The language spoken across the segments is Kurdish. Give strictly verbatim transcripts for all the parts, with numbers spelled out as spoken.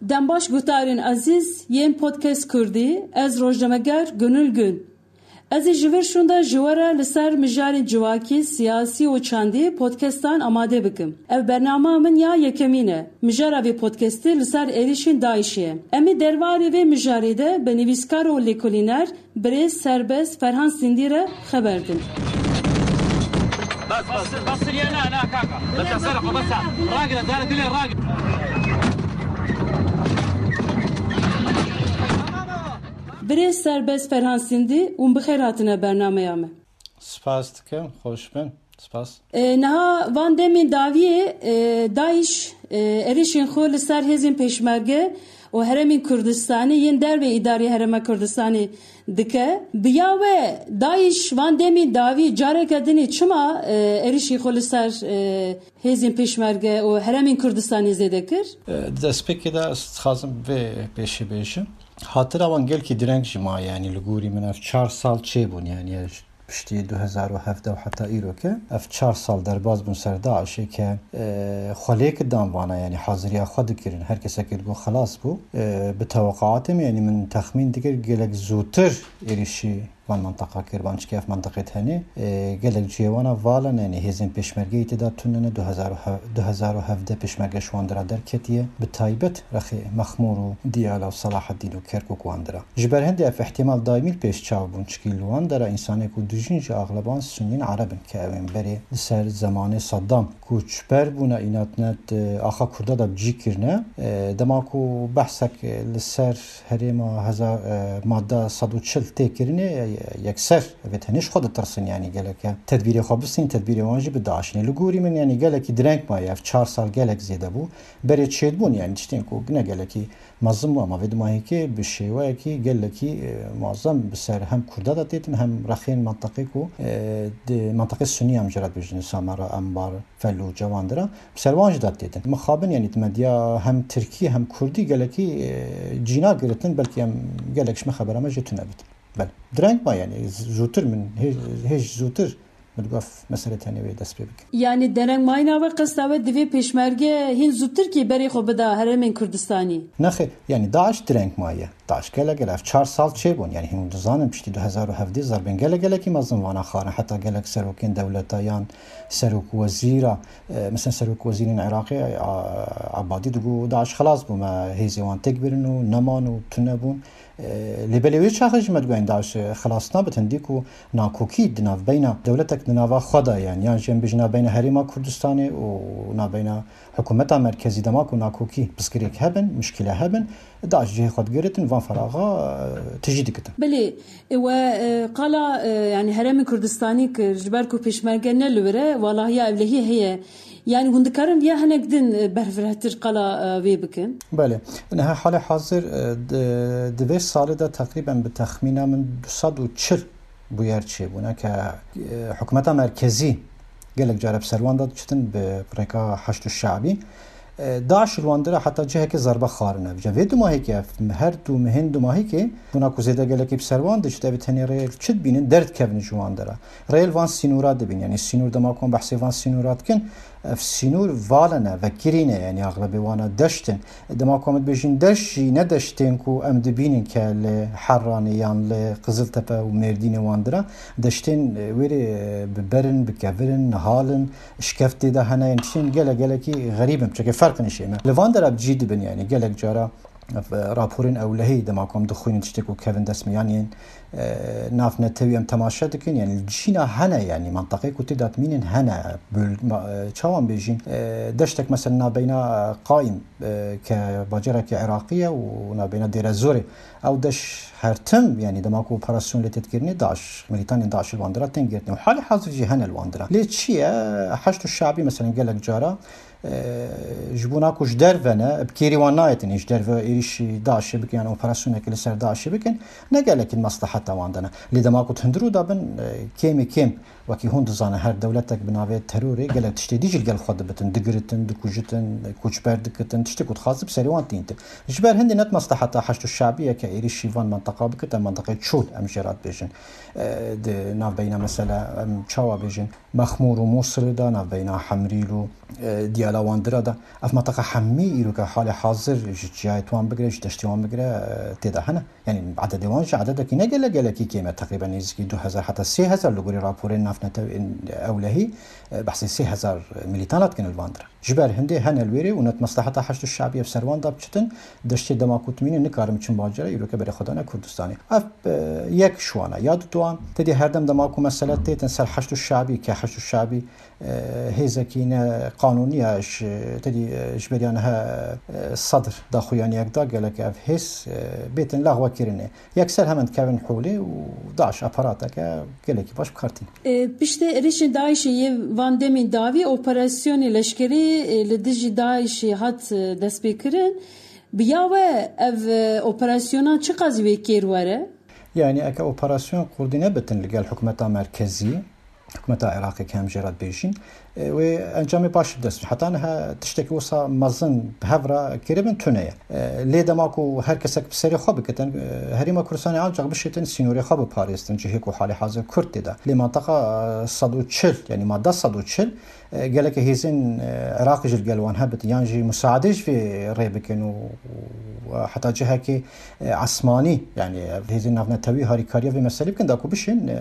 Dem baş guhdarên ezîz yên Podcast Kurdî, ez rojnameger Gönül Gün. Ez ê ji vir şûnde ji we re li ser mijarên civakî, siyasî û çandî podcastan amade bikim. Ev bernama min ya yekemîn e. Mijara vê podcastê li ser êrîşên DAIŞê ye. Em ê derbarê vê mijarê de bi nivîskar û lêkolîner birêz Serbest Ferhan Sindî re xeber din. Bas, bas, bas, ya na, na, kaka. Bas, bas, bas, bas. Ragir, zara dilê ragir. Birêz Serbest Ferhan Sindî, hûn bi xêr hatine bernameya me. Spas dikim, xweş bin. Spas. E, niha van demên dawiyê, e, DAIŞ, e, êrîşên xwe li ser hêzên pêşmerge û herêmên Kurdistanê yên dervê îdarê herêma Kurdistanê dike. Bi ya we DAIŞ van demên dawî careke dinê çima, e, êrîşî xwe li ser, e, hêzên pêşmerge û herêmên Kurdistanê zêde kir? E, di destpêkê de ez dixwazim vê pêşî bêjim. Hatira wan gelkî direng jî maye, yanî li gorî min ev çar sal çêbûn, yanî piştî du hezar û hevdeh û heta îro ke ev çar sal derbas bûn ser DAIŞê ke, e, xwe lêk dan vana, yanî haziriya xwe dikirin. Her kesekê digot xelas bû. E, bi teweqaatê min, yanî min texmîn dikir gelek zûtir êrîşî van menteqa kir, van çikê ev menteqê tenê, e, gelek cihê wana vala ne, yanî hêzên pêşmergeyê tê de tune ne, du hezar û hevdeh pêşmerge ji wan dira derketiye. Bi taybet rexê Mexmûr û Diyala û Selaheddîn û Kerkûk wan dira. Ji ber hindê ev îhtîmal daîmî li pêş çav bûn, çikî li wan dera însanê ku dijîn jî axleban Sunîn Ereb in, ke ew ên berê li ser zemanê Saddam koçber bûne, înanet, e, axa Kurda de bi cî kirine. E, dema ku behsek, e, li ser herêma hezar, e, madde sed û çil tê kirinê, e, yekser vê tenê ji xwe ditirsin, yanî gelek e tedbîrê xwe bistînin, tedbîrê wan jî bi DAIŞê. Li gorî min, yanî gelekî direng maye, ev çar sal gelek zêde bû. Berê çêdibûn, yanî tiştên ku ne gelekî mezin bû, ama vê dumahîkê bi şêweyekî gelekî, e, muazzem bi ser hem Kurda de têtin, hem rexên menteqê ku, e, di menteqê Sunî em jê re dibêjin, Samera, Enbar, Felûce, wan dira, bi ser wan jî de têtin. Mixabin, yanî di medya hem Tirkî hem Kurdî gelekî, e, cîna giritin, belkî em gelek ji me xebera me jê tune bitin. Belê. Direng ma, yanî z-, zûtir min, hê-, hêj zûtir min digot ev mesele tenê wê dest pê bike. Yanî dereng mayîna we, qesta we divê pêşmerge hîn zûtirkî berê xwe bida herêmên Kurdistanî? Nexê, yanî DAIŞ direng maye. DAIŞ gelek gelek, ev çar sal çêbûn. Yanî hûn dizanin piştî du hezar û hevdeh zerbên gelek gelekî mezin vana xwarin. Heta gelek serokên dewleta yan serok wezîra, e, mesela serok wezîrên Iraqê, a-, Abadî digot DAIŞ xelas bû, me hêzê wan têk birin û neman û tune bûn. E, lê belê wê çaxê jî me digot DAIŞ xelas nabit, hindî ku nakokî di navbeyna dewletek di nava xwe de, yanî yan jî em bêjin navbeyna herêma Kurdistanê û navbeyna hikûmeta merkezî, dema ku nakokî pirsgirêk hebin, muşkîle hebin, DAIŞ cihê xwe digiritin, van feraxa, e, tijî dikitin. Belê, e, we, e, qala, e, yanî herêmên Kurdistanî kir, ji ber ku pêşmerge ne li wir e, walahiya ewlehî heye. Yanî hûn dikarin viya hinek din, e, berfirehtir qala, e, vê bikin? Belê. Niha halê hazir, e, di, di vê salê de teqrîben bi texmîna min du sed û çil bûyer çêbûne ke, e, hikûmeta merkezî gelek care bi ser wan de diçitin bi rêka Heşd û Şe'bî. E, DAIŞ li wan dira heta cihekê zerbe xwarine. Vêca vê dumahîkê, ev her du mehên dumahîkê, bûna ku zêde gelekî bi ser wan diçit, ev tenê rê çi dibînin, derdikevin ji wan dira. Rê li van sînora dibîn, yanî sînor dema ku em behsê van sînora dikin, ev sînor vala ne, vekirî ne, yanî axlebê wana deşt in. Dema ku em dibêjin deşt jî ne deştên ku em dibînin ke li Herranê yan li Qiziltepe û Mêrdînê wan dira. Deştên, e, wêrê, e, bi ber in, bi kevir in, nihal in, şikeftê de hene, yên tiştên gelek gelekî xerîb in, çekê ferq nişêne. Li van dera bi cî dibin, yanî gelek cara, e, raporên ewlehî dema ku em dixwînin tiştê ku kevin dest me, yanî, e, nav netewî em temaşe dikin, yanî li cîna hene, yanî menteqê ku tê de dimînin hene, böl-, ma-, e, çawan bêjîn, e, deştek mesela navbeyna, e, Qaîm, e, ke bacarekî Iraqî ye û navbeyna Dêrezorê. Ew deş her tim, yanî dema ku operasyon lê tê dikirinê, DAIŞ, milîtanên DAIŞ li wan dira tên girtin. Û halê hazir jî hene li wan dira. Lê çi ye? Heşd û Şe'bî, mesela gelek cara, e, ji bona ku ji derve ne, bi kêrî wan nayêtin, ji derve êrîşî DAIŞê bikin, yan operasyonekê li ser DAIŞê bikin, ne gelekî di mesleheta wan de ne. Lê dema ku di hundirû de bin, e, kêmê kêm, wekî hûn dizanin, her dewletek bi navê terorê gelek tiştê dî jî li gel xwe dibitin, digiritin, dikujitin, koçber dikitin, tiştê ku dixwazin bi serê wan tîntin. Ji ber hindê ne di mesleheta Heşd û Şe'bî ye ke êrîşî van menteqa bikite, menteqê Çûl em jê re dibêjin. E, di navbeyna mesela, em çawa bêjin, Mexmûr û Mûsilê de, navbeyna Hemrîl û, e, Diyar Lawandira de. Ev mentaqa hemî îroke halê hazir ji çiyayê wan bigire, ji deştê wan bigire, e, tê de hene. Yanî ededê wan jî ededekî ne gelek gelekî kêm e, teqrîben nêzîkî du hezar heta sê hezar li gorî raporên navnetewên ewlehî, e, behsê sê hezar milîtana dikin li van dire. Ji ber hindê hene li wêrê û net mesleheta Heşd û Şebî ev ser wan de biçitin, deştê dema ku timînin nikarin biçin bacera, îroke berê xwe dane Kurdistanê. Ev, e, yek ji wan e. Ya duduwan, tedî herdem dema ku mesele têtin ser Heşd û Şebî, ke Heşd û Şebî, e, hêzekî ne qanûnî ye, ji, tedî, e, ji beriya niha, e, Sedr daxuyaniyek da gelek ev hêz, e, bêtin lexwekirinê. Yekser hemen dikevin holê û DAIŞ aparateke gelekî baş bi kar tîne. E, piştê êrişên DAIŞê yê van demên dawî operasyonê leşkerî, e, li dijî DAIŞê hat, e, destpêkirin. Bi ya we ev, e, operasyona çiqas wê kêr were? Yanî eke operasyon kurdî nebitin li gel hikûmeta merkezî, hikûmeta Iraqê ke em jê re dibêjin, e, wê encamê baş bi dest. Heta niha tiştekî wisa mezin bi hev re kiribin tune ye. E, lê dema ku her kesek bi serê xwe bikitin, e, Herêma Kurdistanê ancax bişêtin sînorê xwe biparêstin, cihê ku halê hazir Kurd tê de. Lê mantaqa, e, sed û çil, yanî madde sed û çil, e, geleke hêzên, e, Iraqê jî li gel wan hebitin, yan jî musaadê ji vê rê bikin û, û heta cihekê, e, esmanî, yanî ev hêzên navnetewî harîkariya vê meselê bikin, da ku bişên, e,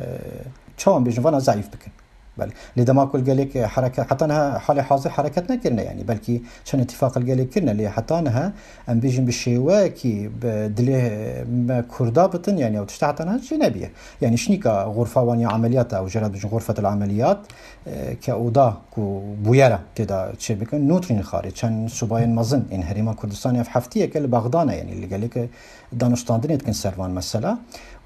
çawan bêjin, vana zeîf bikin. Belê. Lê dema ku li gelek, e, hereket, heta niha halê hazir hereket nekirine, yanî belkî çend îtîfaq li gelek kirine, lê heta niha em bêjin bi şêweyekî bi dilê me Kurda bitin, yanî ew tişta heta niha jî nebiye. Yanî şinîka xurfa wan ya emeliyata, ew jê re dibêjin xurfetul emeliyat, e, ke oda ku bûyera tê de çêbikin, nûtrîn xarê, çend subayên mezin ên Herêma Kurdistanê ev heftiyeke li Bexda ne, yanî li gelek danûstandinê dikin ser van mesela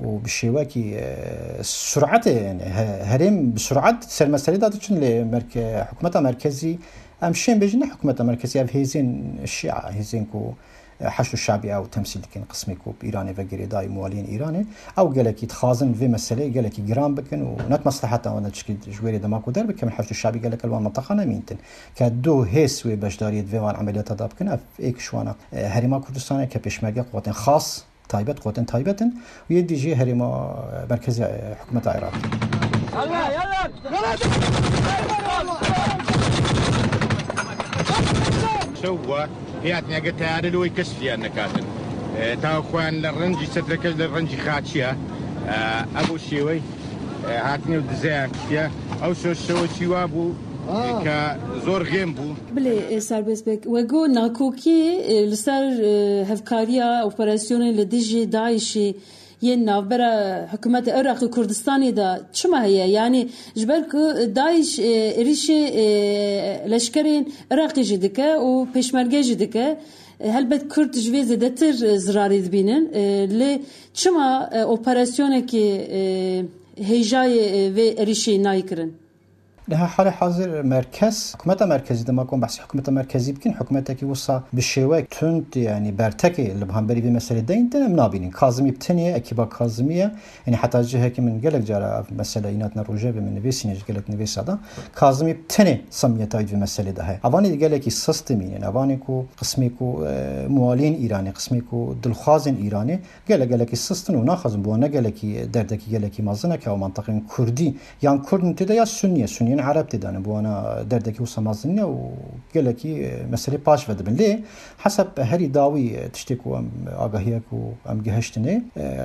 û bi şêwekî, e, suretê, yanî he-, herêm bi suret ser meselê de diçin lê merke-, hikûmeta merkezî em şên bêjin ne hikûmeta merkezî, ev hêzên şia, hêzên ku, e, Heşd û Şebî ew temsîl dikin, qismê ku bi Îranê ve girêdayî, muwaliyên Îranê, ew gelekî dixwazin vê meseleyê gelekî giran bikin û net mesleheta wan de çikî ji wêrê dema ku derbikevin Heşd û Şebî gelek li wan minteqa nemîntin. Ke du hêz wê beşdariyê di vê wan emeliyata de bikin, ev êk ji wana, e, Herêma Kurdistanê ke pêşmerge quwetên xas, taybet, quwetên taybet in û yê dî jî herêma, e, merkezê, e, hikûmeta Iraqê. Şew bû, hêhatine ge teyare li wê kes fiyan nekatin. E, ta xweyan li rencî sedreke li rencî xaçiya. E, ev o şêwey, e, hatine û dizeyan kiştiye. Ew şew, şew çî wa bû, e, ke zor xêm bû. Bilê, e, Serbest Bek, we got nakokî, e, li ser, e, hevkariya operasyonên li dijî DAIŞê yên navbera hikûmeta Iraqê Kurdistanê de çima heye? Yanî ji ber ku DAIŞ, e, êrîşê, e, leşkerên Iraqê jî dike û pêşmerge jî dike. E, helbet Kurd ji vê zêdetir, e, zirarê dibînin. E, lê çima, e, operasyonekê, e, hêjayê, e, vê êrîşê nayê kirin? Niha halê hazir merkez, hikûmeta merkezî, dema ku em behsê hikûmeta merkezî bikin, hikûmetekî wisa bi şêwek tund, yanî bertekê li hemberî vê meselê deyîn, em nabînin. Kazimî bi tenê, ekîba Kazimî ye. Yanî heta cihekî min gelek cara ev mesele îna hatine rojevê min nivîsîne ji gelek nivîsa de. Kazimî bi tenê semiyeta wî di vê meselê de heye. Evanê di gelekî sistemî ne. Evanê ku qismê ku, e, muwaliyên Îranê, qismê ku dilxwazên Îranê, gelek gelekî sist in û naxwazin, bo ne gelekî derdekî gelekî mezin e ke ew menteqên Kurdî yan Kurd in tê de ya Sunnî ye, Sunniyên Ereb tê de ne, bo wana derdekî wisa mezin e û gelekî, e, meselê paş ve dibin. Lê heseb herî dawî, e, tiştê ku em agahiya ku em gihiştinê, e,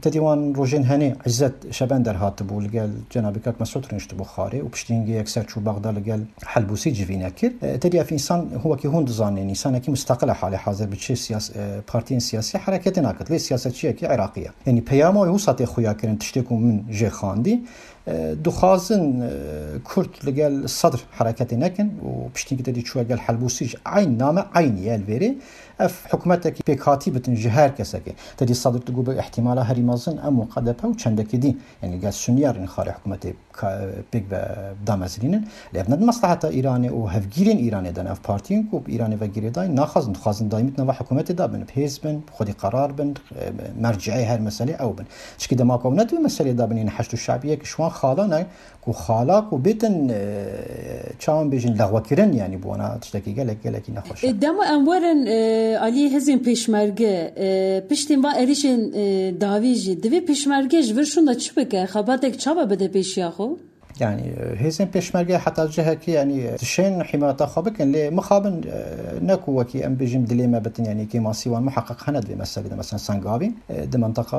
tedî wan rojên henê Îzzet Şebender hatibû, li gel Cenabê Kak Mesûd rûniştibû Xarê û piştî hingê yekser çû Bexda li gel Helbûsî civîne kir. E, tedî ev însan, wekî hûn dizanin, însanekî musteqil e halê hazir, bi çi siyas-, e, partiyên siyasî hereketê nakit. Lê siyasetçiyekî Iraqî ye. Yanî peyama wê wisa tê xuya kirin, tiştê ku min jê xwendî. E, dixwazin, e, Kurd li gel Sedr hereketê nekin û piştî ku tedî çûye gel Helbûsî ji eyn name eynî ye li vêrê. Ev hikûmetekî pêkhatî bitin ji her kesekê. Tedî Sedr digot bi îhtîmala herî mezin em û K D P û çendekî dî. Yanî gel Sunniya rînxarê hikûmetê ka-, pêk ve damezrînin. Lê ev ne di mesleheta Îranê û hevgîrên Îranê de ne. Ev partiyên ku bi Îranê ve girêdayî naxwazin, dixwazin daîmî di nava hikûmetê de bin, bi hêz bin, bi xwedî qerar bin, e, merciê her meselê ew bin. Çikî dema ku ew ne di vê meselê de bin, yên Heşd û Şebî yek ji wan xala ne, ku xala ku bêtin, e, çawan bêjin, lexwekirin, yanî bi wana tiştekî gelek, gelekî nexweş e. E, dema em werin, e, aliyê hêzên pêşmerge, e, piştî van êrîşên, e, dawî jî, divê pêşmerge ji vir şûnda çi bike? Xebatek çawa bide pêşiya xwe? Yani, e, hêzên pêşmerge heta cihekî, yani, e, dişên hîmayeta xwe bikin, lê mixabin, e, ne ku wekî em bêjin dilê me bitin, yani, kêmasî wan muheqeq hene di vê meselê de. Mesela Sengavîn, e, di mentaqa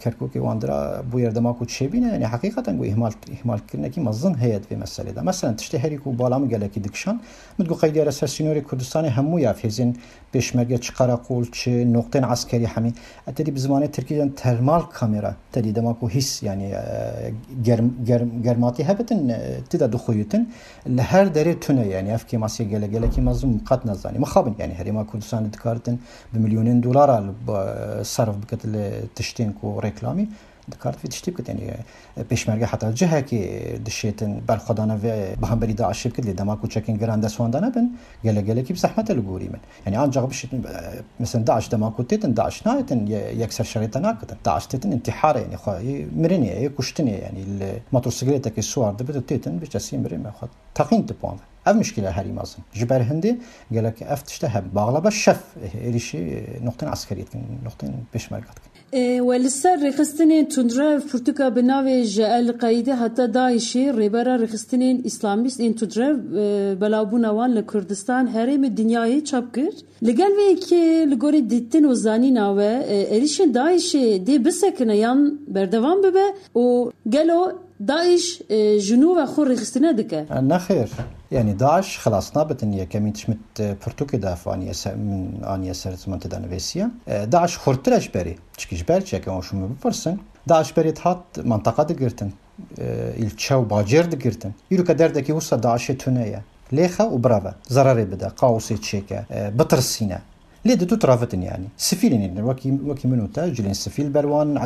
Kerkûkê wan dira bûyer dema ku çêbîne, yani, heqîqeten ku îhmal, îhmalkirinekî mezin heye di vê meselê de. Mesela tiştê herî ku bala min gelekî dikişand, min digot qeydiyara ser sînorê Kurdistanê hemû ya hêzên pêşmerge, çi qereqol, çi noqtên eskerî hemî. E, tedî bi zimanê tirkî de termal kamera, tedî dema ku hîs, yani, e, germ-, germ-, germatî hebitin, e, ti de dixuyitin. Li her derê tune, yani, ev kêmasiyê gele-, gelekî mezin qet nezanî. Mixabin, yani, herêma Kurdistanê dikaritin bi milyonên dolara li, e, serf bikit li tiştên ku reklamî. Dikart vê tiştî bikit, yani, e, pêşmerge heta cihekê dişêtin berxwedana vê bi hemberî DAIŞê bikit, lê dema ku çekên giran dest wan de nebin, gele-, gelekî bi zehmet e li gorî min. Yani, ancak bişêtin, e, mesela DAIŞ dema ku têtin, DAIŞ nayêtin, ye-, yekser şerê te nakitin. DAIŞ têtin intihar e, yani, xwe, yê mirinê, yê kuştinê, yani, li motosikletekê siwar dibit û têtin, bi kesî mirê me xwe teqîn dip wan ve. Ev mişkîle herî mezin. Ji ber hindê gelek ev tişte hebe. Baxlaba şef êrîşî noqtên eskerî dikin, noqtên pêşmerge dikin. E, we li ser rêxistinên tundrev pirtûka bi navê Ji El Qeydê heta DAIŞê, rêbera rêxistinên îslamîst ên tundrev, e, belavbûna wan li Kurdistan, herêmê, dinyayê çap kir. Li gel vê yekê, li gorî dîtin û zanîna we, e, êrîşên DAIŞê dê bisekine yan berdewam bibe û gelo DAIŞ, e, ji nû ve xwe rêxistine dike? Nexêr. Yani DAIŞ xilas nabitin. Yekemîn tişt min, e, pirtûkê de ev aniye ser, min aniye ser ziman tê de nivîsiye. E, DAIŞ xurtir e ji berê. Çikî ji ber çi, yeke wan şûn min bipirsin. DAIŞ berê dihat mantaqa digirtin. E, îlçe û bacêr digirtin. Îroke derdekî wisa DAIŞê tune ye. Lêxe û bireve. Zererê bide, kaosê çêke, e, bitirsîne. Lê di tu tiravitin yani. Sivîlên ên, wekî, wekî min û te, cilên sivîl ber wan, e,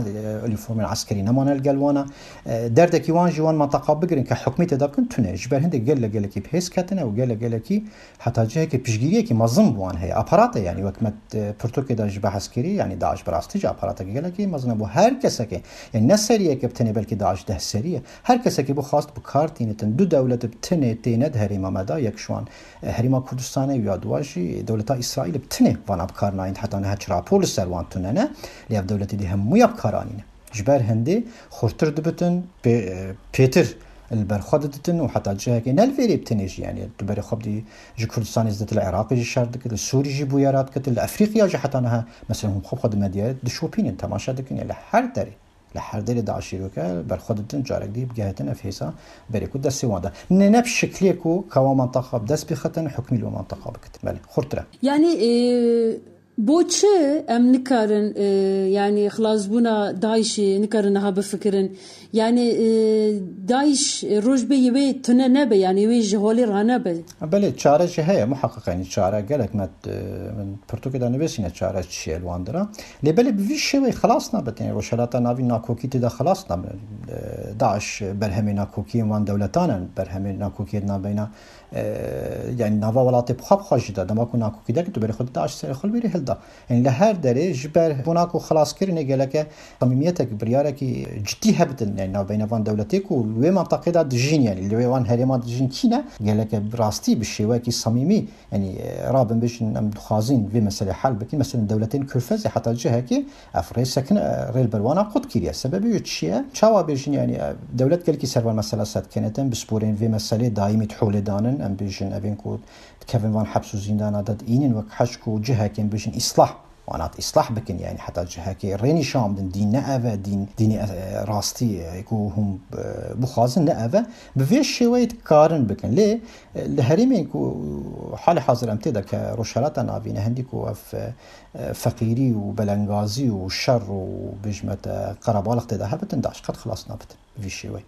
uniformên eskerî nemane li gel wana. E, derdekî wan jî wan mantaqa bigirin ke hukmê tê de bikin tune. Ji ber hindê gele gelekî bi hêz ketine û gele gelekî heta cihekê piştgiriyekî mezin bi wan heye. Aparat e yani, wek me, e, pirtûkê de jî behs kirî, yani DAIŞ bi rastî jî aparatekî gelekî mezin e bo her kesekê. Yani ne seriyeke bi tenê, belkî DAIŞ deh serî ye. Her kesekî bixwast bi kar tînitin. Du dewlet bi tenê têne di herêma me de, yek ji wan, e, Herêma Kurdistanê û ya duwa jî dewleta Îsraîlê bi tenê vana bi kar nayîn. Heta niha çi rapor li ser wan tune ne, lê ev dewletê dî hemûya bi kar anîne. Ji ber hindê xurtir dibitin, pê-, e, pêtir li ber xwe diditin û heta cihekê ne li vêrê bi tenê jî, yani tu berê xwe bidî ji Kurdistanê zêdetir li Iraqê jî şer dikit, li Sûrî jî bûyera dikit, li Efrîqiya jî heta niha, mesela hûn xwe bi xwe di medyayê dişopînin, temaşe dikin, yani li her derê. Li her derê DAIŞê weke berxwe didin, carek dî bigehtin ev hêza berê ku destê wan de. Ne, ne bi şiklê ku ka wan mantaqa bi dest bixetin, hukmî li wan mantaqa bikitin. Belê, xurtir e. Yani, e, bo çi em nikarin, e, yani xilasbûna DAIŞê nikarin niha bifikirin? Yani, e, DAIŞ, e, roj bê yê wê tune nebe, yani wê ji holê ranebe. Belê, çare jî heye, muheqeq, yani çare gelek me, e, min pirtûkê de nivîsîne çare çi ye li wan dira. Lê belê bi vî şêweyê xilas nabin. Yani Rojhelata Navîn nakokî tê de xilas nabin. E, DAIŞ berhemê nakokiyên wan dewletan in, berhemê nakokiyê di navbeyna, e, yani nava welatê bi xwe bi xwe jî de. Dema ku nakokî derket, tu berê xwe di DAIŞ serê xwe li vêrê hilda. Yani li her derê ji ber bona ku xelaskirinê geleke samîmiyetek, biryarekî cidî hebidin, yani navbeyna van dewletê ku li wê mantaqê de dijîn, yani li wê van herêma dijîn kî ne, geleke bi rastî bi şêweyekî samîmî, yani, e, rabin bêjin, em dixwazin vê meselê hel bikin. Mesela dewletên Körfezê heta cihekê ev rê sekin, e, rê li ber wana qut kiriye. Sebebê wê çi ye? Çawa bêjin, yani, e, dewlet gelkî ser van mesela setkenetin, bi sporên vê meselê daîmî di holê danin, em bêjin, evên ku dikevin van heps û zîndana de diînin wek heşk û cihekên bêjin îslah. Wana di îslah bikin, yani heta cihekê rê nîşan bidin, dîn ne ev e, dîn, dînê, e, rastî, e, ku hûn, e, bixwazin ne ev e. Bi vê şêweyê dikarin bikin. Lê, e, li herêmên ku halê hazir em tê de ke Rojhelata Navîn e, hindî ku ev, e, feqîrî û belengazî û şer û bêjme te qerebalix tê de hebitin, DAIŞ qet xilas nabitin bi vî şêweyê.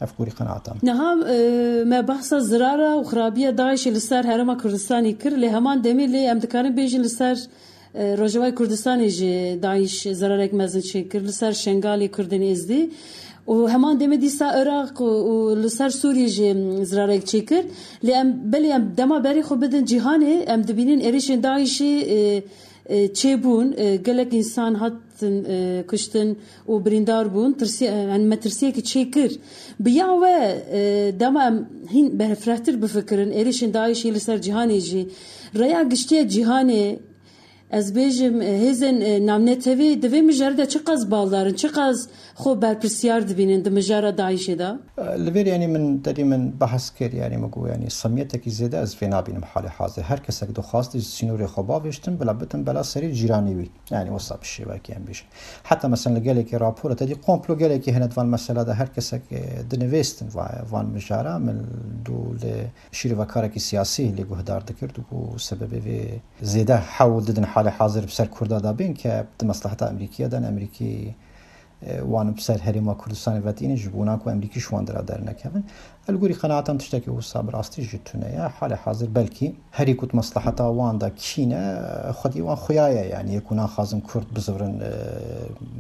Ev gorî qenaeta min. Niha, e, me behsa zirara û xirabiya DAIŞê li ser Herêma Kurdistanê kir, lê heman demê lê em dikarin bêjin li ser, e, Rojavayê Kurdistanê jî DAIŞ zirarek mezin çêkir, li ser Şengalê Kurdên Êzdî û heman demê dîsa Iraq û, û li ser Sûriyê jî zirarek çêkir. Lê em, belê em dema berê xwe bidin cîhanê, em dibînin êrişên DAIŞê, e, e, çêbûn, e, gelek însan hatin, e, kuştin û birîndar bûn. Tirsiye-, e, yani metirsiyekî çêkir. Bi ya we, e, dema em hîn berfirehtir bifikirin, êrişên DAIŞê li ser cîhanê jî rêya giştî ya cîhanê Ez bêjim, e, hêzên, e, navnetewî di vê mijarê de çiqas baldar in, çiqas xwe berpirsiyar dibînin di mijara DAIŞê de? Li vêr, yanî, min derî min behs kir, yanî, min got, yanî, semiyetekî zêde ez vê nabînim halê hazir. Her kesek dixwast ji sînorê xwe bavêjtin, bila bitin bela serê cîranê wî. Yanî, wisa bi şêwekê em bêjin. Heta, mesela, li gelekî rapora te dî komplo gelekî hene di van mesela de, her kesek, e, dinivêstin va-, van mijara. Min dû li şîrovekarekî siyasî lê guhdar dikir, digot sebebê vê zêde hewl didin halê hazir bi ser Kurda de bên ke di mesleheta Amerîkiye de, Amerîkî, e, wan bi ser Herêma Kurdistanê ve tînin ji bona ku Amerîkî ji wan dira dernekevin. Ez li gorî qenaetan tiştekî wisa bi rastî jî tune ye. Halê hazir belkî herî ku di mesleheta wan de kî ne, xwedî wan xuya ye, yanî yê ku naxwazin Kurd bizivirin, e,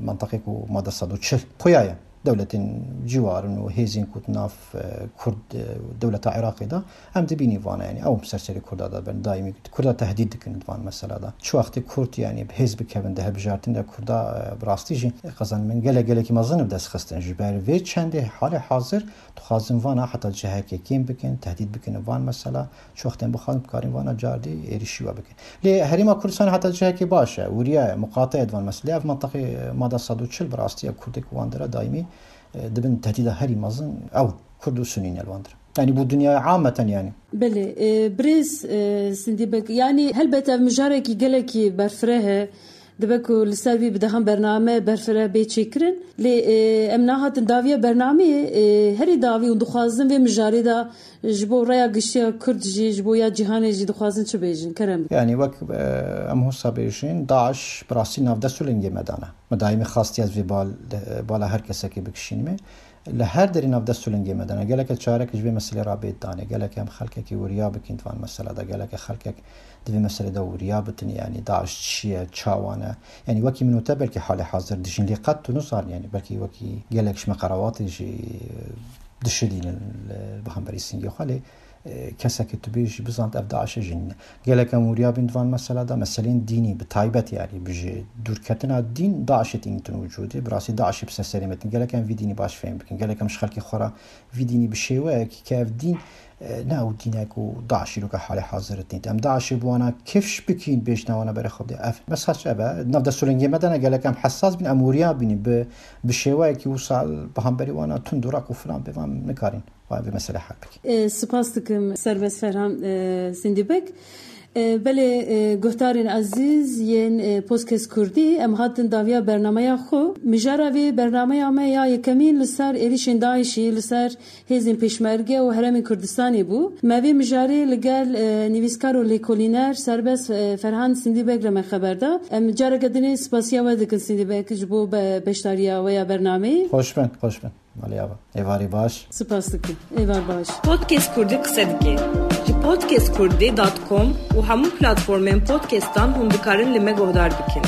menteqê ku made sed û çil xuya ye. Dewletên ciwarin û hêzên ku di nav, e, Kurd, e, dewleta Iraqê de em dibînî vana, yanî ew bi ser serê Kurda de bin, daîmî Kurda tehdîd dikin di van mesela de. Çi wextê Kurd, yanî bi hêz bikevin di hilbijartin de Kurda, e, bi rastî jî qezenimên gelek gelekî mezin bi dest xistin. Ji ber vê çendê halê hazir dixwazin vana heta cihekê kêm bikin, tehdîd bikin van mesela. Çi wextên bixwazin, bikarîn vana cardî êrişî we bikin. Lê Herêma Kurdistanê heta cihekê baş e, wiriya ye, muqate ye di van mesela. Lê ev menteqê mada sed û çil bi rastî ye, Kurdê ku wan dira daîmî, e, dibin tehdîda herî mezin ew Kurd û Sunî ne li wan dira. Yanî bo dinyaya ameten, yanî. Belê, e, birêz, e, Sindî Beg, yanî helbet ev mijarekî gelekî berfireh e. Dibe ku li ser vî bi dehan bername berfireh bê çêkirin. Lê, e, em nahatin dawiya bernameyê, e, herî dawî û dixwazin vê mijarê de ji bo raya giştiya Kurd jî, ji bo ya cîhanê jî dixwazin çi bêjin? Kerem bikin. Yanî wek, e, em hosa bêjin, DAIŞ bi rastî navdest û lingê me dane. Me daîmî xastiye ez vê bal-, bala her kesekê bikişînime. Li her derê navdest û lingê me dane. Gelek çarek ji vê meselê re bêt danê. Gelek em xelkekî wiriya bikin di van mesela de. Gelek xelkek di vê meselê de wiriya bitin. Yanî DAIŞ çi ye, çawa ne? Yanî wekî min û te belkî halê hazir dijîn. Lê qet tu nizan, yanî belkî wekî gelek ji me qerawatê jî dişidînin li, bi hemberî singê xwe. Lê e, kesekî tu bê jî bizant ev DAIŞê jî nîne. Gelek em wiriya bîn di van mesela de, meselên dînî bi taybet, yanî bi ji dûrketina dîn DAIŞê tînitin wicûdê. Bi rastî DAIŞê bi ser serê me tîn. Gelek em vî dînî baş fêm bikin. Gelek em ji xelkê xwe re vî dînî bi şêweyekî ke ev dîn, e, ne ew dîne ku DAIŞ îro ke halê hazir tînt. Em DAIŞê bi wana kifş bikîn, bêjne wana berê xwe bidê. Ev mesaj ev e. Nav dest û lingê me de ne, gelek em hesas bîn, em wiriya bînin bi, bi şêweyekî wisa bi hemberî wana tund û rak û filan bê van nikarîn. Vay, vê meselê hal bikî. E, spas dikim Serbest Ferhan, e, Sindî Beg. E, belê, e, guhdarên ezîz yên, e, Podcast Kurdî, em hatin dawiya bernameya xwe. Mijara vê bernameya me ya yekemîn li ser êrişên DAIŞî, li ser hêzên Pêşmerge û Herêmên Kurdistanê bû. Me vê mijarê li gel, e, nivîskar û lêkolîner Serbest, e, Ferhan Sindî Beg re me xeber da. Em careke dinê spasiya we dikin Sindî Beg ji bo be-, beşdariya we ya bernameyê. Xweş bin, xweş bin. Malê ava. Êvarî baş. Spas dikim. Êvar baş. Podcast Kurdî qise dike. Ji podcast kurdî dot com û hemû platformên podcastan hûn dikarin li me guhdar bikin.